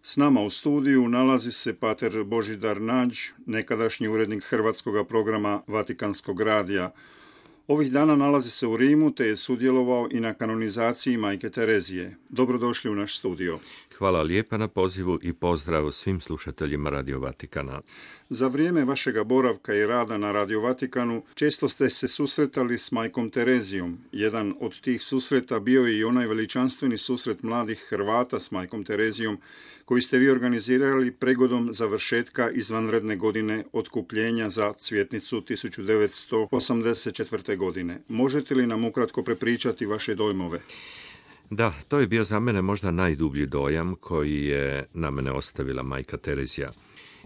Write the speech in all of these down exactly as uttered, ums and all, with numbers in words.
S nama u studiju nalazi se pater Božidar Nađ, nekadašnji urednik hrvatskog programa Vatikanskog radija. Ovih dana nalazi se u Rimu te je sudjelovao i na kanonizaciji Majke Terezije. Dobrodošli u naš studio. Hvala lijepa na pozivu i pozdrav svim slušateljima Radio Vatikana. Za vrijeme vašega boravka i rada na Radio Vatikanu često ste se susretali s Majkom Terezijom. Jedan od tih susreta bio je i onaj veličanstveni susret mladih Hrvata s Majkom Terezijom koji ste vi organizirali prigodom završetka izvanredne godine otkupljenja za cvjetnicu tisuću devetsto osamdeset četvrte. godine. Možete li nam ukratko prepričati vaše dojmove? Da, to je bio za mene možda najdublji dojam koji je na mene ostavila Majka Terezija.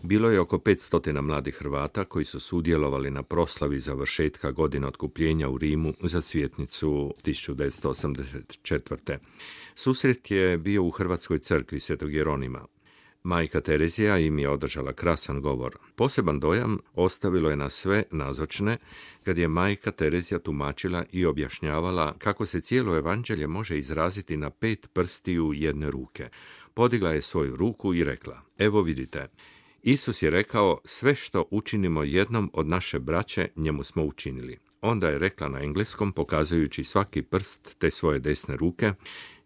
Bilo je oko petsto mladih Hrvata koji su sudjelovali na proslavi završetka godine otkupljenja u Rimu za cvjetnicu tisuću devetsto osamdeset četvrte. Susret je bio u Hrvatskoj crkvi Svetog Jeronima. Majka Terezija im je održala krasan govor. Poseban dojam ostavilo je na sve nazočne kad je Majka Terezija tumačila i objašnjavala kako se cijelo evanđelje može izraziti na pet prstiju jedne ruke. Podigla je svoju ruku i rekla: evo vidite, Isus je rekao, sve što učinimo jednom od naše braće, njemu smo učinili. Onda je rekla na engleskom, pokazujući svaki prst te svoje desne ruke: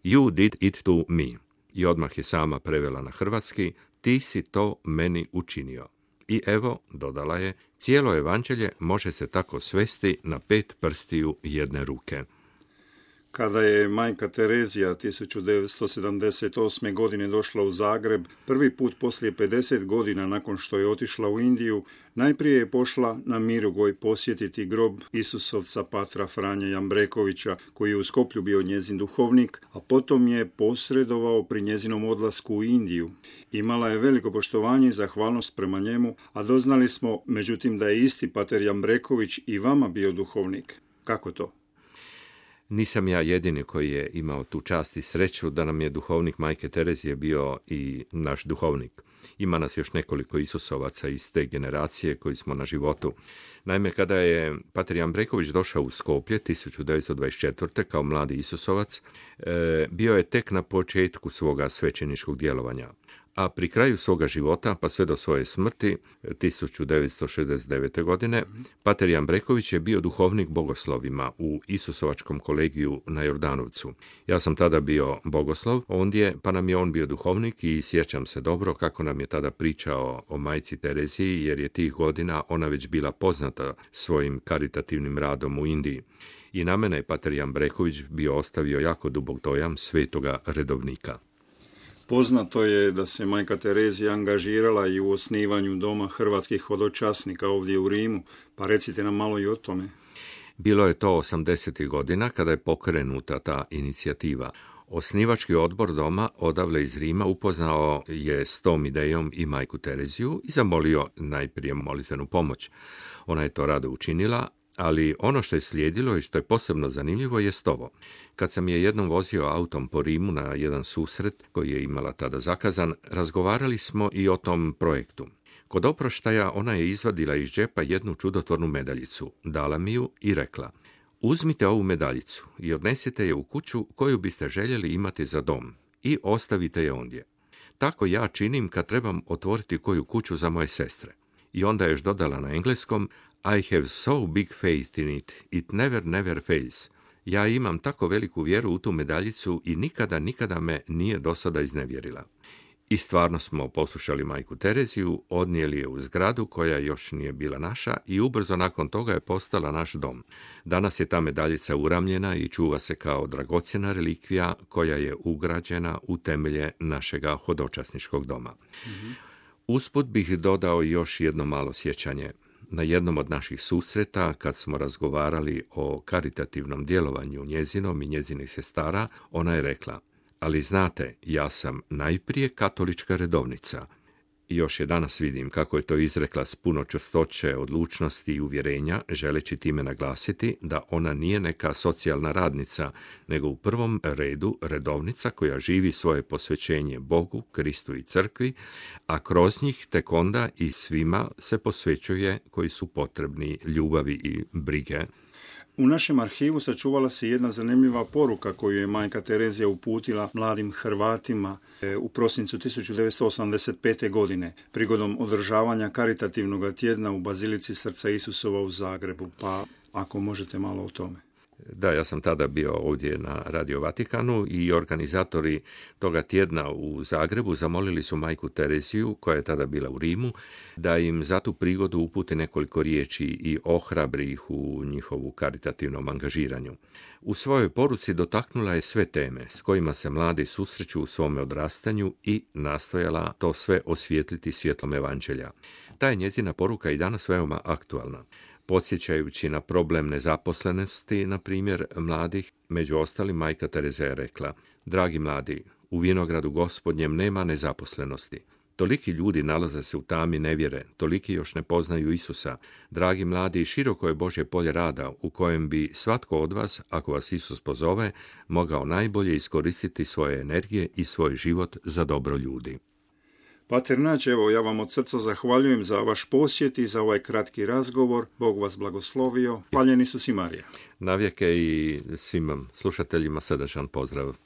You did it to me. I odmah je sama prevela na hrvatski: ti si to meni učinio. I evo, dodala je, cijelo evanđelje može se tako svesti na pet prstiju jedne ruke. Kada je Majka Terezija tisuću devetsto sedamdeset osme. godine došla u Zagreb, prvi put poslije pedeset godina nakon što je otišla u Indiju, najprije je pošla na Mirogoj posjetiti grob Isusovca patra Franje Jambrekovića, koji je u Skoplju bio njezin duhovnik, a potom je posredovao pri njezinom odlasku u Indiju. Imala je veliko poštovanje i zahvalnost prema njemu, a doznali smo, međutim, da je isti pater Jambreković i vama bio duhovnik. Kako to? Nisam ja jedini koji je imao tu čast i sreću da nam je duhovnik Majke Terezije bio i naš duhovnik. Ima nas još nekoliko Isusovaca iz te generacije koji smo na životu. Naime, kada je pater Jambreković došao u Skoplje tisuću devetsto dvadeset četvrte. kao mladi Isusovac, e, bio je tek na početku svoga svećeničkog djelovanja. A pri kraju svoga života, pa sve do svoje smrti, tisuću devetsto šezdeset devete. godine, pater Jambreković je bio duhovnik bogoslovima u Isusovačkom kolegiju na Jordanovcu. Ja sam tada bio bogoslov ondje, pa nam je on bio duhovnik i sjećam se dobro kako nam je tada pričao o Majci Tereziji, jer je tih godina ona već bila poznata svojim karitativnim radom u Indiji. I na mene je pater Jambreković bio ostavio jako dubok dojam svetoga redovnika. Poznato je da se Majka Terezija angažirala i u osnivanju Doma hrvatskih hodočasnika ovdje u Rimu, pa recite nam malo i o tome. Bilo je to osamdesetih godina kada je pokrenuta ta inicijativa. Osnivački odbor doma odavle iz Rima upoznao je s tom idejom i Majku Tereziju i zamolio najprije molitvenu pomoć. Ona je to rado učinila, ali ono što je slijedilo i što je posebno zanimljivo jest ovo. Kad sam je jednom vozio autom po Rimu na jedan susret koji je imala tada zakazan, razgovarali smo i o tom projektu. Kod oproštaja ona je izvadila iz džepa jednu čudotvornu medaljicu, dala mi ju i rekla: uzmite ovu medaljicu i odnesite je u kuću koju biste željeli imati za dom i ostavite je ondje. Tako ja činim kad trebam otvoriti koju kuću za moje sestre. I onda je još dodala na engleskom: I have so big faith in it, it never, never fails. Ja imam tako veliku vjeru u tu medaljicu i nikada, nikada me nije do sada iznevjerila. I stvarno smo poslušali Majku Tereziju, odnijeli je u zgradu koja još nije bila naša i ubrzo nakon toga je postala naš dom. Danas je ta medaljica uramljena i čuva se kao dragocjena relikvija koja je ugrađena u temelje našega hodočasničkog doma. Mm-hmm. Usput bih dodao još jedno malo sjećanje. Na jednom od naših susreta, kad smo razgovarali o karitativnom djelovanju njezinom i njezinih sestara, ona je rekla: ali znate, ja sam najprije katolička redovnica. I još je danas vidim kako je to izrekla s puno čvrstoće, odlučnosti i uvjerenja, želeći time naglasiti da ona nije neka socijalna radnica, nego u prvom redu redovnica koja živi svoje posvećenje Bogu, Kristu i crkvi, a kroz njih tek onda i svima se posvećuje koji su potrebni ljubavi i brige. U našem arhivu sačuvala se jedna zanimljiva poruka koju je majka Terezija uputila mladim Hrvatima u prosincu tisuću devetsto osamdeset pete. godine prigodom održavanja karitativnog tjedna u Bazilici Srca Isusova u Zagrebu. Pa ako možete malo o tome. Da, ja sam tada bio ovdje na Radio Vatikanu i organizatori toga tjedna u Zagrebu zamolili su majku Tereziju, koja je tada bila u Rimu, da im za tu prigodu uputi nekoliko riječi i ohrabri ih u njihovu karitativnom angažiranju. U svojoj poruci dotaknula je sve teme s kojima se mladi susreću u svome odrastanju i nastojala to sve osvijetliti svjetlom evanđelja. Ta je njezina poruka i danas veoma aktualna. Podsjećajući na problem nezaposlenosti, na primjer, mladih, među ostalim majka Tereza je rekla: dragi mladi, u vinogradu Gospodnjem nema nezaposlenosti. Toliki ljudi nalaze se u tami nevjere, toliki još ne poznaju Isusa. Dragi mladi, široko je Božje polje rada u kojem bi svatko od vas, ako vas Isus pozove, mogao najbolje iskoristiti svoje energije i svoj život za dobro ljudi. Pater Nađ, evo ja vam od srca zahvaljujem za vaš posjet i za ovaj kratki razgovor. Bog vas blagoslovio. Hvaljeni Isus i Marija. Navijeke i svim slušateljima srdačan pozdrav.